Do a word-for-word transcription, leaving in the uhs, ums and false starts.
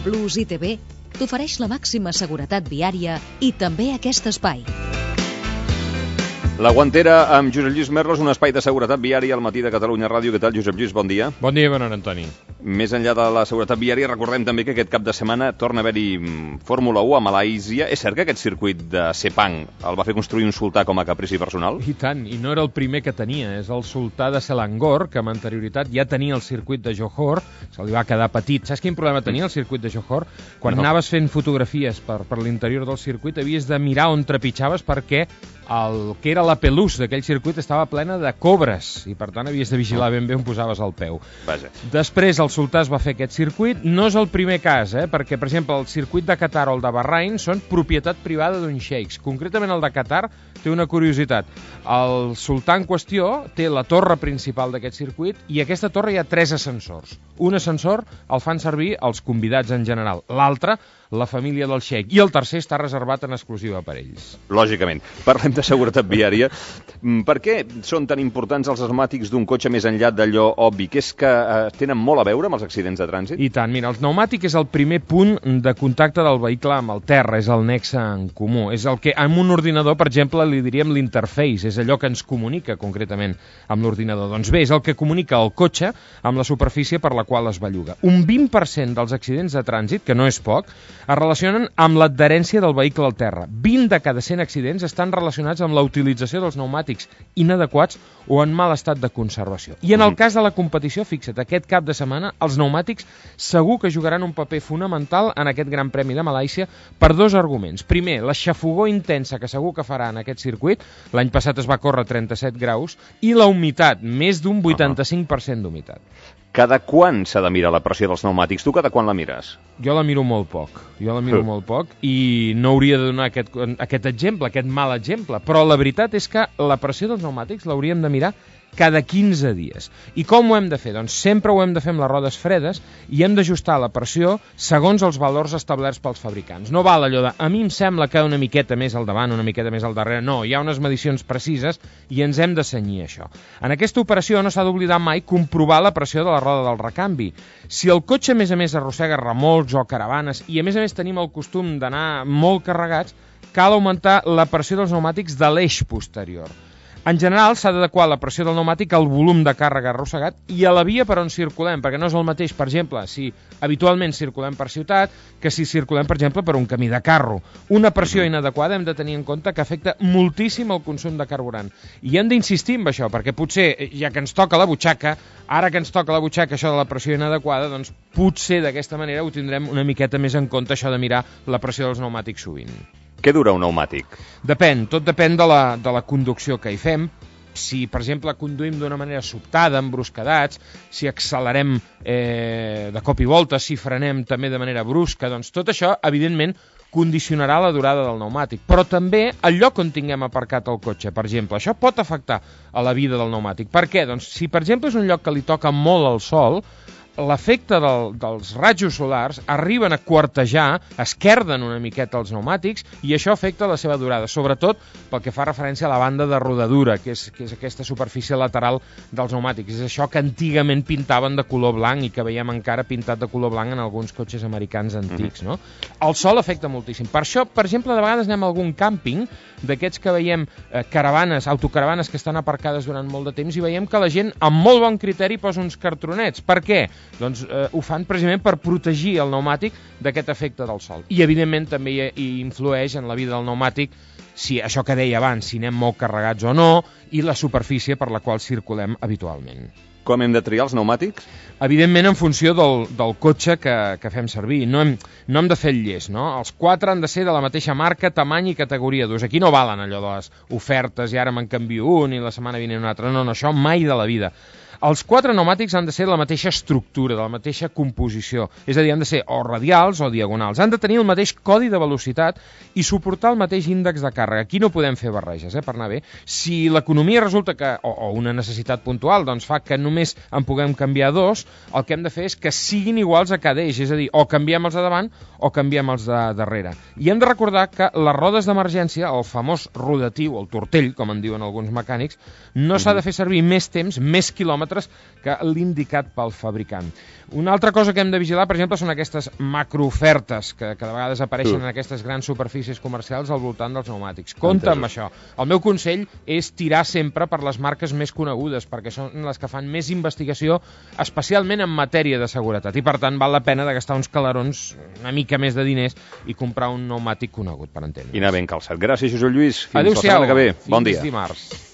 Plus I T B t'ofereix la màxima seguretat viària i també aquest espai. La Guantera amb Josep Lluís Merlos, un espai de seguretat viària al matí de Catalunya Ràdio. Què tal, Josep Lluís? Bon dia. Bon dia, bon hora, Antoni. Més enllà de la seguretat viària, recordem també que aquest cap de setmana torna a haver-hi Fórmula u a Malàisia. És cert que aquest circuit de Sepang el va fer construir un sultà com a caprici personal? I tant, i no era el primer que tenia. És el sultà de Selangor, que amb anterioritat ja tenia el circuit de Johor. Se li va quedar petit. Saps quin problema tenia el circuit de Johor? Quan no. anaves fent fotografies per, per l'interior del circuit havies de mirar on trepitjaves perquè el que era la pelús d'aquell circuit estava plena de cobres i per tant havies de vigilar ben bé on posaves el peu. Vaja. Després el sultà es va fer aquest circuit. No és el primer cas, eh? perquè per exemple el circuit de Qatar o el de Bahrain són propietat privada d'un xeics. Concretament el de Qatar té una curiositat. El sultà en qüestió té la torre principal d'aquest circuit i a aquesta torre hi ha tres ascensors. Un ascensor el fan servir els convidats en general, l'altre la família del xeic, i el tercer està reservat en exclusiva per ells. Lògicament. Parlem de seguretat viària. Per què són tan importants els pneumàtics d'un cotxe més enllà d'allò obvi, que és que eh, tenen molt a veure amb els accidents de trànsit? I tant, mira, el pneumàtic és el primer punt de contacte del vehicle amb el terra, és el nexe en comú, és el que amb un ordinador, per exemple, li diríem l'interface, és allò que ens comunica concretament amb l'ordinador. Doncs bé, és el que comunica el cotxe amb la superfície per la qual es belluga. Un vint per cent dels accidents de trànsit, que no és poc, es relacionen amb l'adherència del vehicle al terra. vint de cada cent accidents estan relacionats amb la utilització dels pneumàtics inadequats o en mal estat de conservació. I en el cas de la competició, fixa't, aquest cap de setmana els pneumàtics segur que jugaran un paper fonamental en aquest Gran Premi de Malàisia per dos arguments. Primer, la xafogor intensa que segur que farà en aquest circuit, l'any passat es va córrer trenta-set graus, i la humitat, més d'un vuitanta-cinc per cent d'humitat. Cada quan s'ha de mirar la pressió dels pneumàtics? Tu cada quan la mires? Jo la miro molt poc, jo la miro molt poc i no hauria de donar aquest, aquest exemple, aquest mal exemple, però la veritat és que la pressió dels pneumàtics l'hauríem de mirar cada quinze dies. I com ho hem de fer? Doncs sempre ho hem de fer amb les rodes fredes i hem d'ajustar la pressió segons els valors establerts pels fabricants. No val allò de, a mi em sembla que una miqueta més al davant, una miqueta més al darrere. No, hi ha unes medicions precises i ens hem de cenyir això. En aquesta operació no s'ha d'oblidar mai comprovar la pressió de la roda del recanvi. Si el cotxe, a més a més, arrossega remolcs o caravanes i, a més a més, tenim el costum d'anar molt carregats, cal augmentar la pressió dels pneumàtics de l'eix posterior. En general, s'ha d'adequar la pressió del pneumàtic al volum de càrrega arrossegat i a la via per on circulem, perquè no és el mateix, per exemple, si habitualment circulem per ciutat que si circulem, per exemple, per un camí de carro. Una pressió inadequada hem de tenir en compte que afecta moltíssim el consum de carburant. I hem d'insistir en això, perquè potser, ja que ens toca la butxaca, ara que ens toca la butxaca això de la pressió inadequada, doncs potser d'aquesta manera ho tindrem una miqueta més en compte, això de mirar la pressió dels pneumàtics sovint. Què dura un pneumàtic? Depèn, tot depèn de la, de la conducció que hi fem. Si, per exemple, conduïm d'una manera sobtada, embruscadats, si accelerem eh, de cop i volta, si frenem també de manera brusca, doncs tot això, evidentment, condicionarà la durada del pneumàtic. Però també el lloc on tinguem aparcat el cotxe, per exemple, això pot afectar a la vida del pneumàtic. Per què? Doncs si, per exemple, és un lloc que li toca molt al sol, l'efecte del, dels rajos solars arriben a quartejar, esquerden una miqueta els pneumàtics i això afecta la seva durada, sobretot pel que fa referència a la banda de rodadura, que és, que és aquesta superfície lateral dels pneumàtics. És això que antigament pintaven de color blanc i que veiem encara pintat de color blanc en alguns cotxes americans antics, no? El sol afecta moltíssim. Per això, per exemple, de vegades anem a algun càmping d'aquests que veiem eh, caravanes, autocaravanes que estan aparcades durant molt de temps i veiem que la gent amb molt bon criteri posa uns cartronets. Per què? Doncs eh, ho fan precisament per protegir el pneumàtic d'aquest efecte del sol. I, evidentment, també hi, hi influeix en la vida del pneumàtic, si això que deia abans, si anem molt carregats o no, i la superfície per la qual circulem habitualment. Com hem de triar els pneumàtics? Evidentment, en funció del, del cotxe que, que fem servir. No hem, no hem de fer el llest, no? Els quatre han de ser de la mateixa marca, tamany i categoria d'ús. Aquí no valen allò de les ofertes i ara me'n canvio un i la setmana vinent un altre. No, no, això mai de la vida. Els quatre pneumàtics han de ser de la mateixa estructura, de la mateixa composició, és a dir, han de ser o radials o diagonals, han de tenir el mateix codi de velocitat i suportar el mateix índex de càrrega. Aquí no podem fer barreges, eh, per anar bé. Si l'economia resulta que, o, o una necessitat puntual, doncs fa que només en puguem canviar dos, el que hem de fer és que siguin iguals a cada eix, és a dir, o canviem els de davant o canviem els de darrere. I hem de recordar que les rodes d'emergència, el famós rodatiu, el tortell, com en diuen alguns mecànics, no s'ha de fer servir més temps, més quilòmetres quilòmetres que l'indicat pel fabricant. Una altra cosa que hem de vigilar, per exemple, són aquestes macroofertes que, que de vegades apareixen uh. en aquestes grans superfícies comercials al voltant dels pneumàtics. Compte amb això. El meu consell és tirar sempre per les marques més conegudes, perquè són les que fan més investigació, especialment en matèria de seguretat, i per tant val la pena de gastar uns calarons, una mica més de diners, i comprar un pneumàtic conegut, per entendre. I anar ben calçat. Gràcies, Josep Lluís. Fins la setmana que ve. Bon dia. Fins dimarts.